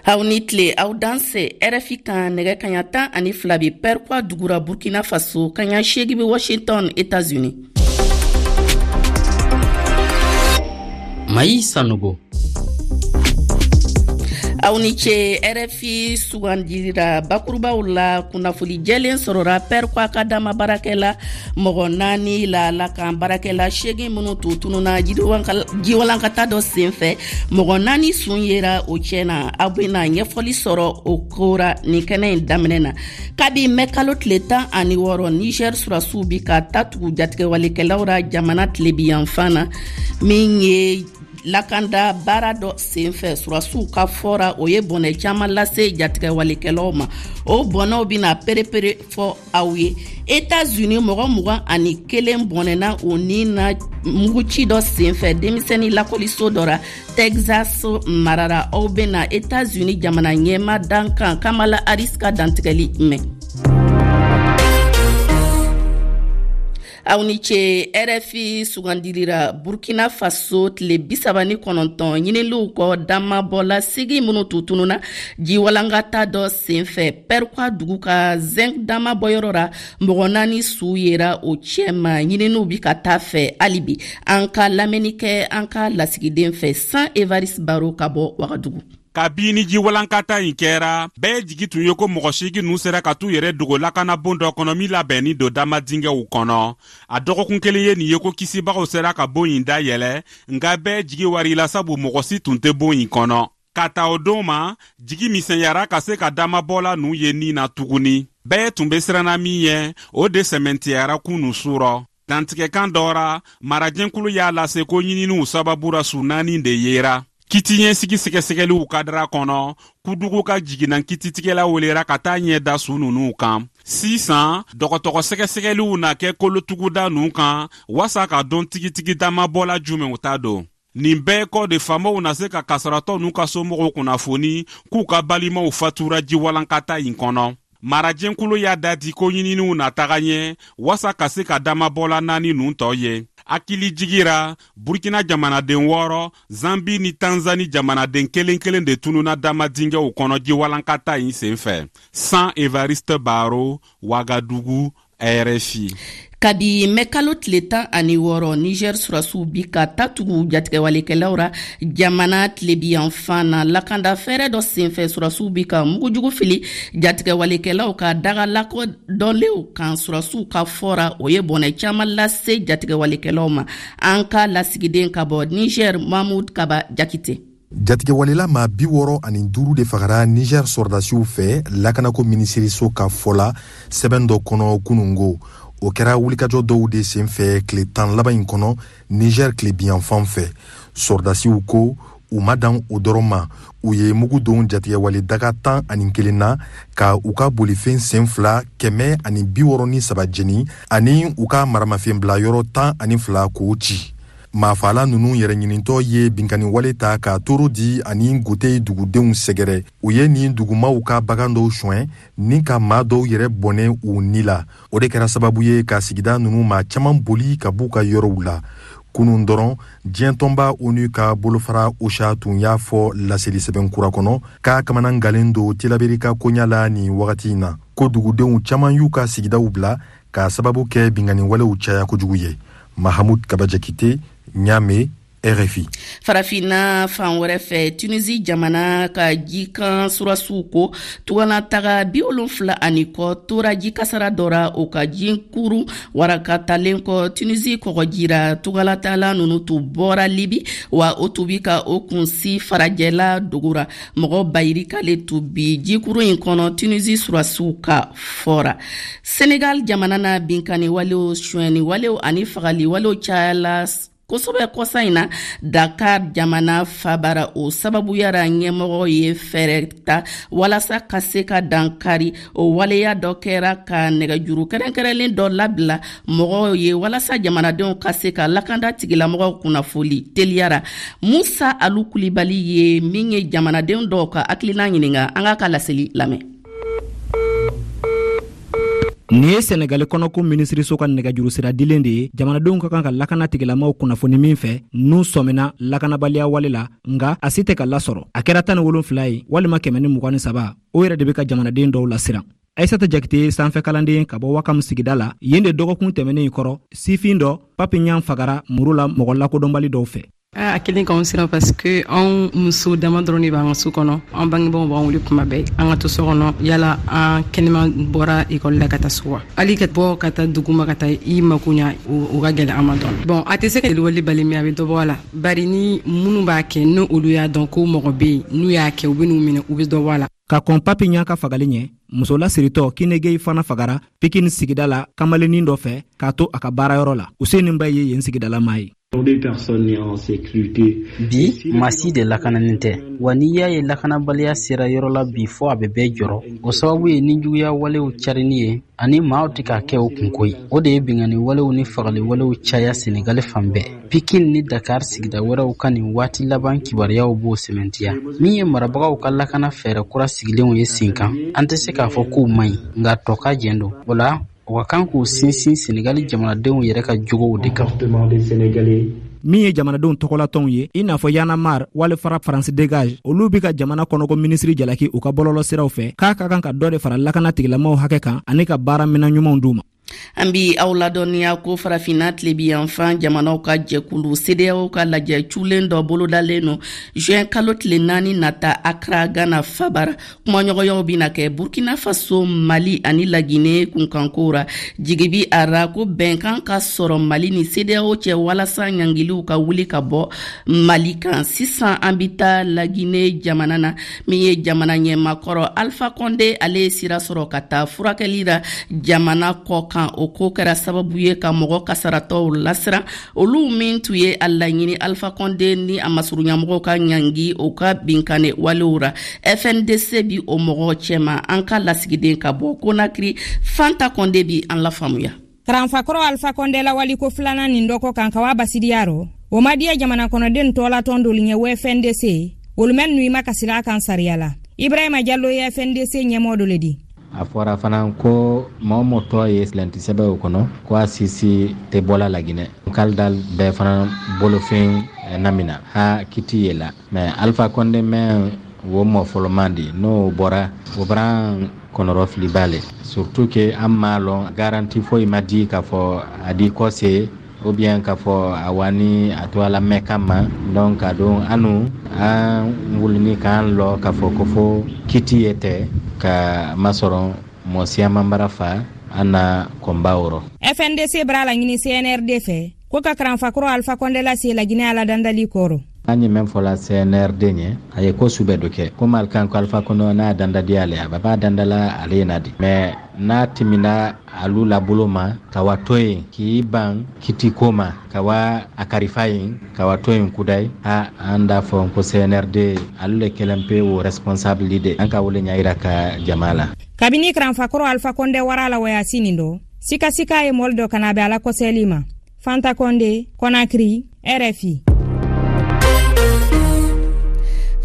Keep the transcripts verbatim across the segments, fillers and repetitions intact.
Aw ni tile, aw danse R F I kan. Nɛgɛ kaɲa tan ani fila bi Pɛrikwa dugura Burkina Faso, kaɲa seegi bi Washington, États-Unis. Mayi Sanogo. Aw ni ce. R F I sugandira bakurubaw la, kunnafoli jɛlen sɔrɔra Pɛrikwa ka dama baarakɛla mɔgɔ naani la lakan baarakɛla seegin minnu tun tununa jiwalankata dɔ sen fɛ, mɔgɔ naani sun yera o cɛ na. Aw bena ɲɛfɔli sɔrɔ o kora nin kɛnɛ in daminɛ na. Kabi mɛ kalo tile tan ani wɔɔrɔ, Niger surasiw bi ka ta tugu jatigɛwalekɛlaw ra jamana tilebiyanfan na, min ye lakanda baara dɔ senfɛ. Surasiw ka fɔra, o ye bɔnɛ caaman lase jatigɛwalekɛlaw ma. O bɔnɛw bena perepere fɔ aw ye. Etats-Unis, mɔgɔ mugan ani kelen bɔnɛna o ni na muguci dɔ senfɛ denmisɛni lakɔliso dɔ ra Texas marara. Aw bena Etats-Unis jamana ɲɛma dankan Kamala Harris ka dantigɛli mɛn. Aw ni ce. R F I sugandilira, Burkina Faso, tile bisaba ni kɔnɔntɔn ɲiniliw kɔ, damabɔla sigi minnu tun tununa jiwalankata dɔ senfɛ Pɛrikwa dugu ka zinc damabɔyɔrɔ ra, mɔgɔ naani su yera o cɛma. Ɲininiw bi ka taa fɛ hali bi. An ka lamɛnni kɛ an ka lasigiden fɛ, San Evariste Baro ka bɔ Wagadugu. Kabini jiwalankata in kɛra, bɛɛ jigi tun ye ko mɔgɔ seegin ninnu sera ka t'u yɛrɛ dogo lakanabon dɔ kɔnɔ min labɛnnin don dama dingɛw kɔnɔ. A dɔgɔkun kelen ye nin ye ko kisibagaw sera ka bon in dayɛlɛ, nka bɛɛ jigi warila, sabu mɔgɔ si tun tɛ bon in kɔnɔ. Ka ta o don ma, jigi misɛnyara ka se ka damabɔla ninnu ye nin na tuguni. Bɛɛ tun be siranna min ɲɛ, o de sɛmɛntiyara kunu surɔ. Dantigɛkan dɔ ra, marajɛnkulu y'a lase ko ɲininiw sababu ra, su naani de yera. Kiti ɲɛsigi sɛgɛsɛgɛliw kadara kɔnɔ, Kudugu ka jiginna kititigɛla welera ka taa ɲɛ da su ninnu kan. Sisan dɔgɔtɔrɔ sɛgɛsɛgɛliw na kɛ kolotuguda ninnu kan wasa ka dɔn tigitigi damabɔla jumɛnw ta don. Nin bɛɛ kɔ de, faamaw na se ka kasaratɔ n'u ka somɔgɔw kunnafoni k'u ka balimaw fatura jiwalankata in kɔnɔ. Marajɛnkulu y'a dati ko ɲininiw na taga ɲɛ wasa ka se ka damabɔla naani ninnu tɔ ye. Hakili jigira, Burkina jamanaden wɔɔrɔ, Zambi ni Tanzani jamanaden kelen kelen de tununa dama dingɛw kɔnɔ jiwalankata in sen fɛ. San Evariste Baro, Wagadugu, R F I. Kabi mɛ kalo tile tan ani wɔɔrɔ, Niger surasiw bi ka ta tugu jatigɛwalekɛlaw ra jamana tilebiyanfan na. Lakanda fɛɛrɛ dɔ senfɛ, surasiw bi ka mugujugu fili jatigɛwalekɛlaw ka daga lakodɔnlenw kan. Surasiw ka fɔra, o ye bɔnɛ caaman lase jatigɛwalekɛlaw ma. An ka lasigiden ka bɔ Niger, Mahmud Kaba Jakite. Jatigɛwalela maa bi wɔɔrɔ ani duuru de fagara Niger sɔrɔdasiw fɛ, lakanako minisiriso ka fɔ la sɛbɛn dɔ kɔnɔ kunungo. O kɛra wulikajɔ dɔw de sen fɛ tile tan laban in kɔnɔ Niger tilebiyanfan fɛ. Sɔrɔdasiw ko u ma dan o dɔrɔn ma, u ye mugu don jatigɛwale daga tan ani kelen na, ka u ka bolifɛn sen fila kɛmɛ ani bi wɔɔrɔ ni saba jeni, ani u ka maramafɛn bila yɔrɔ tan ani fila k'o ci. Maafala ninnu yɛrɛ ɲinitɔ ye binkanni wale ta ka toro di ani Gote dugudenw sɛgɛrɛ. U ye nin dugumaw ka bagan dɔw suɲɛ ni ka maa dɔw yɛrɛ bɔnɛ u ni la. O de kɛra sababu ye ka sigida ninnu maa caman boli ka b'u ka yɔrɔw la. Kunun dɔrɔn, diɲɛ tɔnba ONU ka bolofara OCHA tun y'a fɔ laseli sɛbɛn kura kɔnɔ k'a kamana galen don Tilaberi ka koɲa la nin wagati in na, ko dugudenw caman y'u ka sigidaw bila k'a sababu kɛ binkanni walew caya kojugu ye. Mahamud Kaba Jakite, Ɲame, R F I. Farafinna fan wɛrɛ fɛ, Tunisi jamana ka jikan surasiw ko tuganataga bi wolonfila ani kɔ tora ji kasara dɔ ra o ka jinkuru warakatalen kɔ Tunisi kɔgɔjira. Tugalatala nunu tun bɔra Libi, wa o tun bi ka o kunsi farajɛla dogora. Mɔgɔ bayirikale tun bi jikuru in kɔnɔ, Tunisi surasiw ka fɔra. Senegal jamana na, binkani walew, suɲɛni walew ani fagali walew cayala kosɛbɛ kɔsa in na Dakar jamana fabara. O sababuyara, ɲɛmɔgɔ ye fɛɛrɛ ta walasa ka se ka dankari o waleya. Dɔ kɛra ka nɛgɛjuru kɛrɛnkɛrɛnlen dɔ labila mɔgɔw ye walasa jamanadenw ka se ka lakanda tigilamɔgɔw kunnafoli teliyara. Musa Alu Kulibali ye min ye jamanadenw dɔw ka hakilina ɲininga, an k'a ka laseli lamɛn. Nin ye Senegali kɔnɔko minisiriso ka nɛgɛjurusira dilen de ye jamanadenw ka kan ka lakana tigilamaw kunnafoni min fɛ n'u sɔmina lakanabaliya wale la, nka a si tɛ ka lasɔrɔ. A kɛra tan ni wolonfila ye walima kɛmɛ ni mugan ni saba, o yɛrɛ de bɛ ka jamanaden dɔw lasiran. Aissata Jakite ye sanfɛ kalanden ka bɔ Wakam sigida la. Yen de dɔgɔkun tɛmɛnen kɔrɔ, sifin dɔ Pape Ɲan fagara muru la mɔgɔ lakodɔnbali dɔw fɛ. A kelen k'anw siran parce que anw muso dama dɔrɔn de b'an ka so kɔnɔ. An bangebaaw b'an wele kuma bɛɛ an ka to so kɔnɔ, yala an kɛnɛma bɔra ekɔli la ka taa so wa. Hali ka bɔ ka taa dugu ma ka taa i mako ɲa, o ka gɛlɛn an ma dɔn. Bon, a tɛ se ka wale bali, mais a bɛ dɔ bɔ a la, bari ni minnu b'a kɛ, n'o olu y'a dɔn ko mɔgɔ bɛ yen n'u y'a kɛ, u bɛ n'u minɛ, u bɛ dɔ bɔ a la. Ka kɔn Pape Ɲan ka fagali ɲɛ, muso lasiritɔ Kinegei fana fagara Pikine sigida la kamalennin dɔ fɛ k'a to a ka baarayɔrɔ la. Useni Ba ye yen sigidalamaa ye. Bi, maa si de lakananin tɛ wa. N'i y'a ye lakanabaliya sera yɔrɔ la bi fɔ a bɛ bɛɛ jɔrɔ, o sababu ye nijuguya walew carinni ye ani maaw tɛ k'a kɛ o kunko ye. O de ye binkanni walew ni fagali walew caya Senegali fan bɛɛ. Pikine ni Dakar sigida wɛrɛw ka nin waati laban kibaruyaw b'o sɛmɛntiya. Min ye marabagaw ka lakana fɛɛrɛ kura sigilenw ye sen kan, an tɛ se k'a fɔ k'u man ɲi, nka tɔ ka jɛn don o la. O ka kan k'u sinsin Senegali jamanadenw yɛrɛ ka jogow de kan. Min ye jamanadenw tɔgɔlatɔnw ye, i n'a fɔ Y'en a marre wali FRAPP France Dégage, olu bi ka jamana kɔnɔko minisiri jalaki u ka bɔlɔlɔsiraw fɛ k'a ka kan ka dɔ de fara lakana tigilamaw hakɛ kan ani ka baara minan ɲumanw d'u ma. An bi aw ladɔnniya ko Farafinna tilebiyanfan jamanaw ka jɛkulu CEDEAO ka lajɛ culen dɔ bolodalen no juin kalo tile naani nata Akra, Ghana fabara. Kumaɲɔgɔnyaw bina kɛ Burkina Faso, Mali ani Lagine kunkanko ra. Jigi bi a ra ko bɛnkan ka sɔrɔ Mali ni CEDEAO cɛ walasa ɲangiliw ka wuli ka bɔ Mali kan. Sisan an bi taa Lagine jamana na. Min ye jamana ɲɛmakɔrɔ Alpha Conde, ale ye sira sɔrɔ ka taa furakɛli la jamana kɔ kan. O ko kɛra sababu ye ka mɔgɔ kasaratɔw lasiran, olu min tun ye a laɲini Alpha Conde ni a masurunyamɔgɔw ka ɲangi o ka binkanni walew ra. F N D C bi o mɔgɔw cɛma. An ka lasigiden ka bɔ Konakiri, Fanta Kɔnde, bi an lafaamuya. Karanfakɔrɔ Alpha Kɔnde lawaliko filanan nin dɔkɔ kan ka wa basidiya rɔ, o ma diya jamana kɔnɔden tɔɔlatɔn dolu ɲɛ wo F N D C, olu mɛn nu i ma kasira a kan sariya la. Ibrahima Jallo ye F N D C ɲɛmɔgɔ dɔ le di. A fɔra fana ko maa o mɔgɔ tɔ ye silanti sɛbɛn o kɔnɔ ko a sisi tɛ bɔla Laginɛ kalidal bɛɛ fana bolofɛn namina ha kiti ye la. Mais Alpha Conde mɛn wo mɔ fɔlɔman di, n'o bɔra o bara kɔnɔrɔ filiba le, surtout que an m'a lɔn, garantie foyi ma di k'a fɔ a di kɔse ou bien k'a fɔ a wani a to ala mɛn kama. Donc a don anu an wulini k'an lɔ k'a fɔ ko fo kiti ye tɛ ka masɔrɔ mɔ siyaman bara fa an na kɔnba wɔrɔ. F N D C bara la ɲini C N R D fɛ ko ka karanfakɔrɔ Alpha Conde lase Laginɛ ala dandali kɔrɔ. An ye mɛn fɔla C N R D ɲɛ, a ye ko su bɛɛ do kɛ komi ali kan ko Alpha Conde n'a dandadi ale, a ba b'a dandala ale ye na di, mais n'a timina alu la bolo ma ka wa to yen k'i ban kiti ko ma ka wa a karifa yen ka wa to yen kudayi a an d'a fɔ ko C N R D alu le kelen pe o responsable de an ka wele ɲa yira ka jama la. Kabini karanfakɔrɔ Alpha Conde wara la wayasi nin dɔ, sikasika ye mɔli dɔ kana bɛ ala kɔsɛli ma. Fanta Kɔnde, Konakiri, R F I.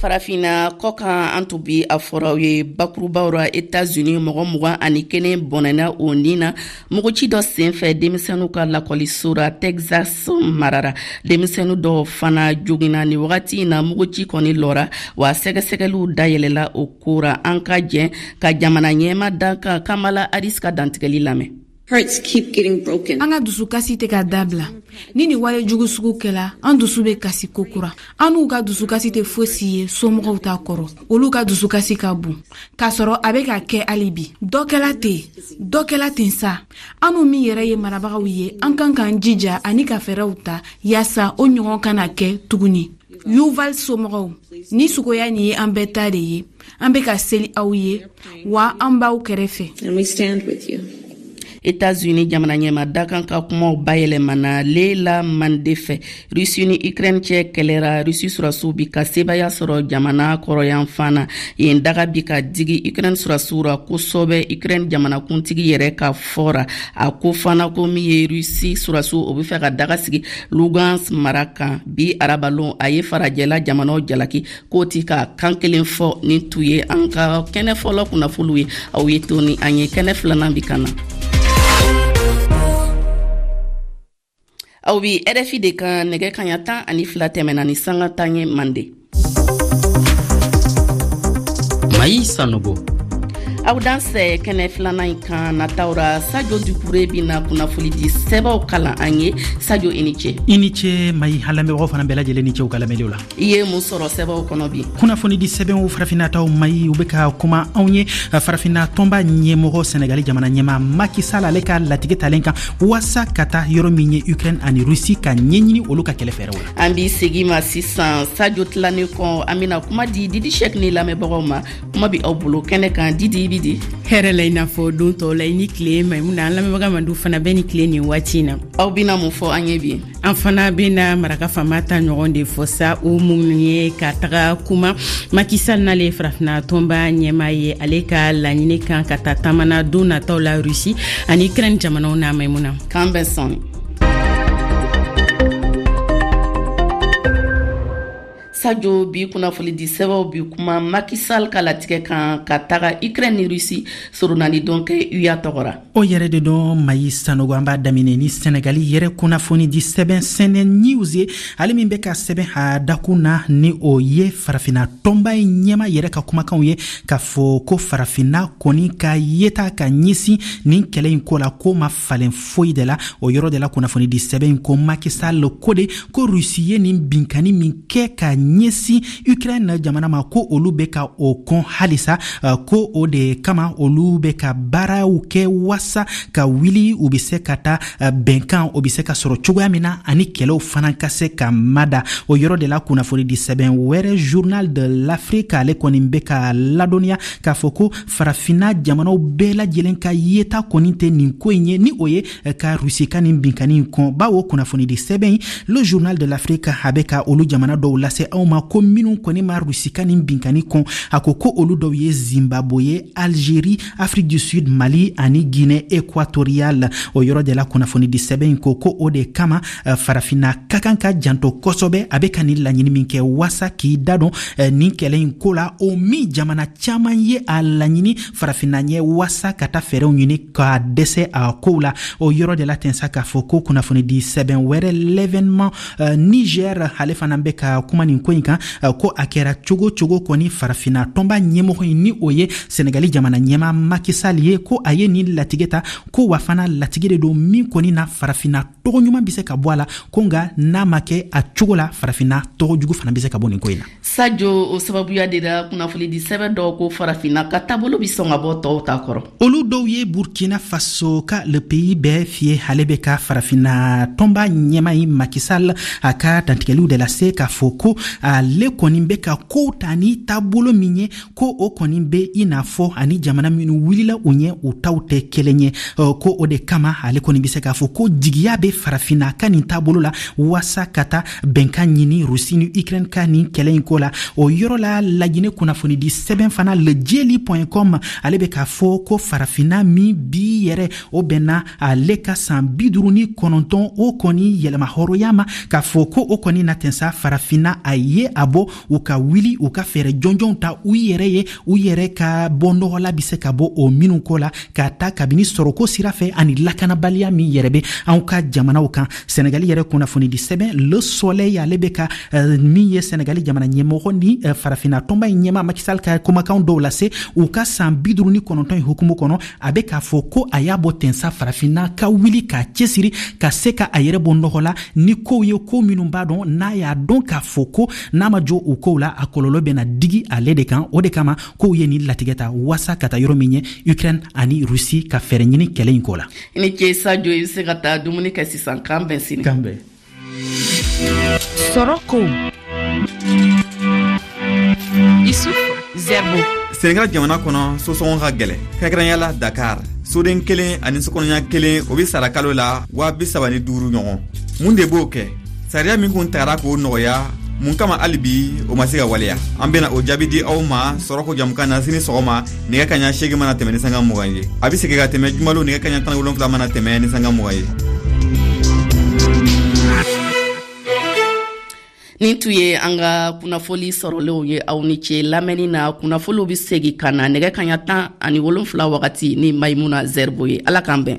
Farafina kɔkan, an tun bi a fɔraw ye bakurubaw ra, Etats-Unis mɔgɔ mugan ani kelen bɔnɛna o nin na muguci dɔ senfɛ denmisɛnninw ka lakɔliso ra Texas marara. Denmisɛnnin dɔw fana jogina. Ni wagati in na, muguci kɔni lɔra wa sɛgɛsɛgɛliw dayɛlɛla o ko ra. An ka jɛn ka jamana ɲɛma dankan Kamala Harris ka dantigɛli lamɛn. Hearts keep getting broken. An ka dusukasi tɛ ka dabila. Ni nin wale jugu sugu kɛla, an dusu bɛ kasi kokura. An n'u ka dusukasi tɛ fosi ye somɔgɔw ta kɔrɔ. Olu ka dusukasi ka bon k'a sɔrɔ a bɛ ka kɛ hali bi. Dɔ kɛla ten, dɔ kɛla ten sa. An n'u min yɛrɛ ye marabagaw ye, an kan k'an jija ani ka fɛɛrɛw ta yaasa o ɲɔgɔn kana kɛ tuguni. Uvalde somɔgɔw ni sugoya nin ye an bɛɛ ta de ye. An bɛ ka seli aw ye wa an b'aw kɛrɛfɛ. And we stand with you. Etats-Unis jamana ɲɛma dakan ka kumaw bayɛlɛmana Leila Mande fɛ. Rusi ni Ukraine cɛ kɛlɛra, Rusi surasiw bi ka sebaya sɔrɔ jamana kɔrɔyanfan na yen. Daga bi ka digi Ukraine surasiw ra kosɔbɛ. Ukraine jamanakuntigi yɛrɛ ka fɔra, a ko fana ko min ye Rusi surasiw, o be fɛ ka daga sigi Lugansk mara kan. Bi arabalon, a ye farajɛla jamanaw jalaki k'o ti ka kan kelen fɔ. Ni tu ye an ka kɛnɛ fɔlɔ kunnafoliw ye. Aw ye to ni an ye, kɛnɛ filanan bi ka na. Aw bi R F I de kan nɛgɛ kaɲa tan ani fila tɛmɛna ni sanga tan ye Mande. Mayi Sanogo. Aw dansɛ kɛnɛ filanan in kan nataw ra, Sadio Dukure bina kunnafoni di sɛbɛw kalan an ye. Sadio, i ni ce. I ni ce Mayi, an lamɛnbagaw fana bɛɛ lajɛlen ni ce u ka lamɛnniw la. I ye mun sɔrɔ sɛbɛw kɔnɔ bi? Kunnafoni di sɛbɛnw farafinnataw Mayi, u bɛ ka kuma anw ye farafinna tɔnba ɲɛmɔgɔ Senegali jamana ɲɛmaa Macky Sall ale ka latigɛ talen kan waasa ka taa yɔrɔ min ye Ukraine ani Russie ka ɲɛɲini olu ka kɛlɛ fɛɛrɛw la. An b'i segin ma sisan Sadio tilannen kɔ, an bɛna kuma di Didi Sɛk ni lamɛnbagaw ma. Kuma bi aw bolo kɛnɛ kan. Didi, i bi di? Hɛrɛ la i n'a fɔ don tɔw la, i ni tile Maimuna, an lamɛnbaga mandu fana bɛ ni tile nin waati in na. Aw bɛna mun fɔ an ye bi? An fana bɛna maraka faama ta ɲɔgɔn de fɔ sa, o minnu ye ka taga kuma Macky Sall n'ale ye farafinna tɔnba ɲɛmaa ye, ale ka laɲini kan ka taa taamana don nataw la Russie ani Ukraine jamanaw na. Maimuna, k'an bɛn sɔnni. Sadio, bi kunnafoni di sɛbɛnw bi kuma Macky Sall ka latigɛ kan ka taga Ukraine ni Russie soronnani dɔn kɛ U E A tɔgɔ ra. O yɛrɛ de dɔn Mayi Sanogo, an b'a daminɛ ni Senegali yɛrɛ kunnafoni di sɛbɛn Sene News ye, ale min bɛ ka sɛbɛn a dakun na ni o ye farafinna tɔnba in ɲɛma yɛrɛ ka kumakanw ye k'a fɔ ko farafinna kɔni ka yeta ka ɲɛsin nin kɛlɛ in ko la ko ma falen foyi de la. O yɔrɔ de la kunnafoni di sɛbɛn in ko Macky Sall ko de ko Russie ye nin binkanni min kɛ ka ɲɛsin Ukraine jamana ma ko olu bɛ ka o kɔn halisa, ko o de kama olu bɛ ka baaraw kɛ wasa ka wuli u bɛ se ka taa bɛnkan o bɛ se ka sɔrɔ cogoya min na ani kɛlɛw fana ka se ka mada. O yɔrɔ de la kunnafoni di sɛbɛn wɛrɛ Journal de l'Afrique ale kɔni bɛ ka ladɔnniya k'a fɔ ko farafinna jamanaw bɛɛ lajɛlen ka yeta kɔni tɛ nin ko in ye, ni o ye ka Russie ka nin binkanni in kɔn, bawo kunnafoni di sɛbɛn in le Journal de l'Afrique a bɛ ka olu jamana dɔw lase anw ma ko minnu kɔni ma Russie ka nin binkanni kɔn. A ko ko olu dɔw ye Zimbabwe, Algérie, Afrique du Sud, Mali ani Guinée équatoriale. O yɔrɔ de la kunnafoni di sɛbɛn in ko ko o de kama farafinna ka kan ka janto kosɛbɛ a bɛ ka nin laɲini min kɛ waasa k'i da don nin kɛlɛ in ko la, o min jamana caman ye a laɲini farafinna ɲɛ waasa ka taa fɛɛrɛw ɲini ka dɛsɛ a kow la. O yɔrɔ de la ten sa k'a fɔ ko kunnafoni di sɛbɛn wɛrɛ l'événement Niger ale fana bɛ ka kuma nin ko in kan ko a kɛra cogo cogo kɔni farafinna tɔnba ɲɛmɔgɔ in ni o ye Senegali jamana ɲɛmaa Macky Sall ye ko a ye nin latigɛ ta, ko wa fana latigɛ de don min kɔni na farafinna tɔgɔ ɲuman bɛ se ka bɔ a la, ko nka n'a ma kɛ a cogo la farafinna tɔgɔ jugu fana bɛ se ka bɔ nin ko in na. Sadio, o sababuya de la kunnafoni di sɛbɛn dɔw ko farafinna ka taabolo bɛ sɔn ka bɔ tɔw ta kɔrɔ. Olu dɔw ye Burkina Faso ka le pays bɛɛ fiyɛ, ale bɛ ka farafinna tɔnba ɲɛmaa in Macky Sall a ka dantigɛliw de lase k'a fɔ ko ale kɔni bɛ ka kow ta ni taabolo min ye ko o kɔni bɛ i n'a fɔ ani jamana minnu wulila u ɲɛ u taw tɛ kelen ye, ko o de kama ale kɔni bɛ se k'a fɔ ko jigiya bɛ farafinna ka nin taabolo la waasa ka taa bɛnkan ɲini Russie ni Ukraine ka nin kɛlɛ in ko la. O yɔrɔ la Laginɛ kunnafoni di sɛbɛn fana le jeli point com ale bɛ k'a fɔ ko farafinna min bi yɛrɛ o bɛnna ale ka san bi duuru ni kɔnɔntɔn o kɔni yɛlɛma hɔrɔnya ma, k'a fɔ ko o kɔni na ten sa farafinna a ye a bɔ u ka wuli u ka fɛɛrɛ jɔnjɔnw ta u yɛrɛ ye, u yɛrɛ ka bɔ nɔgɔ la bɛ se ka bɔ o minnu ko la ka ta kabini sɔrɔko sira fɛ ani lakanabaliya min yɛrɛ bɛ anw ka jamanaw kan. Senegali yɛrɛ kunnafoni di sɛbɛn Le Soleil ale bɛ ka uh, min ye Senegali jamana ɲɛmɔgɔ ni uh, farafinna tɔnba in ɲɛmaa Macky Sall ka kumakan dɔw lase u ka san bi duuru ni kɔnɔntɔn in hukumu kɔnɔ, a bɛ k'a fɔ ko a y'a bɔ ten sa farafinna ka wuli k'a cɛsiri ka se ka a yɛrɛ bɔ nɔgɔ la ni kow ye ko minnu b'a dɔn n'a y'a dɔn k'a fɔ ko n'a ma jɔ o kow la a kɔlɔlɔ bɛna digi ale de kan. O de kama kow ye nin latigɛ ta waasa ka taa yɔrɔ min ye Ukraine ani Russie ka fɛɛrɛ ɲini kɛlɛ in ko la. I ni ce Sadio, i bɛ se ka taa dumuni kɛ sisan. K'an bɛn sini. K'an bɛn. Sɔrɔ ko Isuf Zerbo. Senegal jamana kɔnɔ sosɔngɔ ka gɛlɛ, kɛrɛnkɛrɛnya la Dakar. Soden kelen ani sokɔnɔɲa kelen o be sara kalo la waa bi saba ni duuru ɲɔgɔn. Mun de b'o kɛ? Sariya min kun tagara k'o nɔgɔya, mun kama hali bi o ma se ka waleya? An bena o jaabi di aw ma sɔrɔko jamukan na sini sɔgɔma nɛgɛ kaɲa seegin mana tɛmɛ ni sanga mugan ye. A be segin ka tɛmɛ jumalo nɛgɛ kaɲa tan ni wolonfila mana tɛmɛ ni sanga mugan ye. Nin tun ye an ka kunnafoli sɔrɔlenw ye. Aw ni ce lamɛnni na. Kunnafoliw bɛ segin ka na nɛgɛ kaɲa tan ani wolonfila wagati ni Maimuna Zerbo ye. Ala k'an bɛn.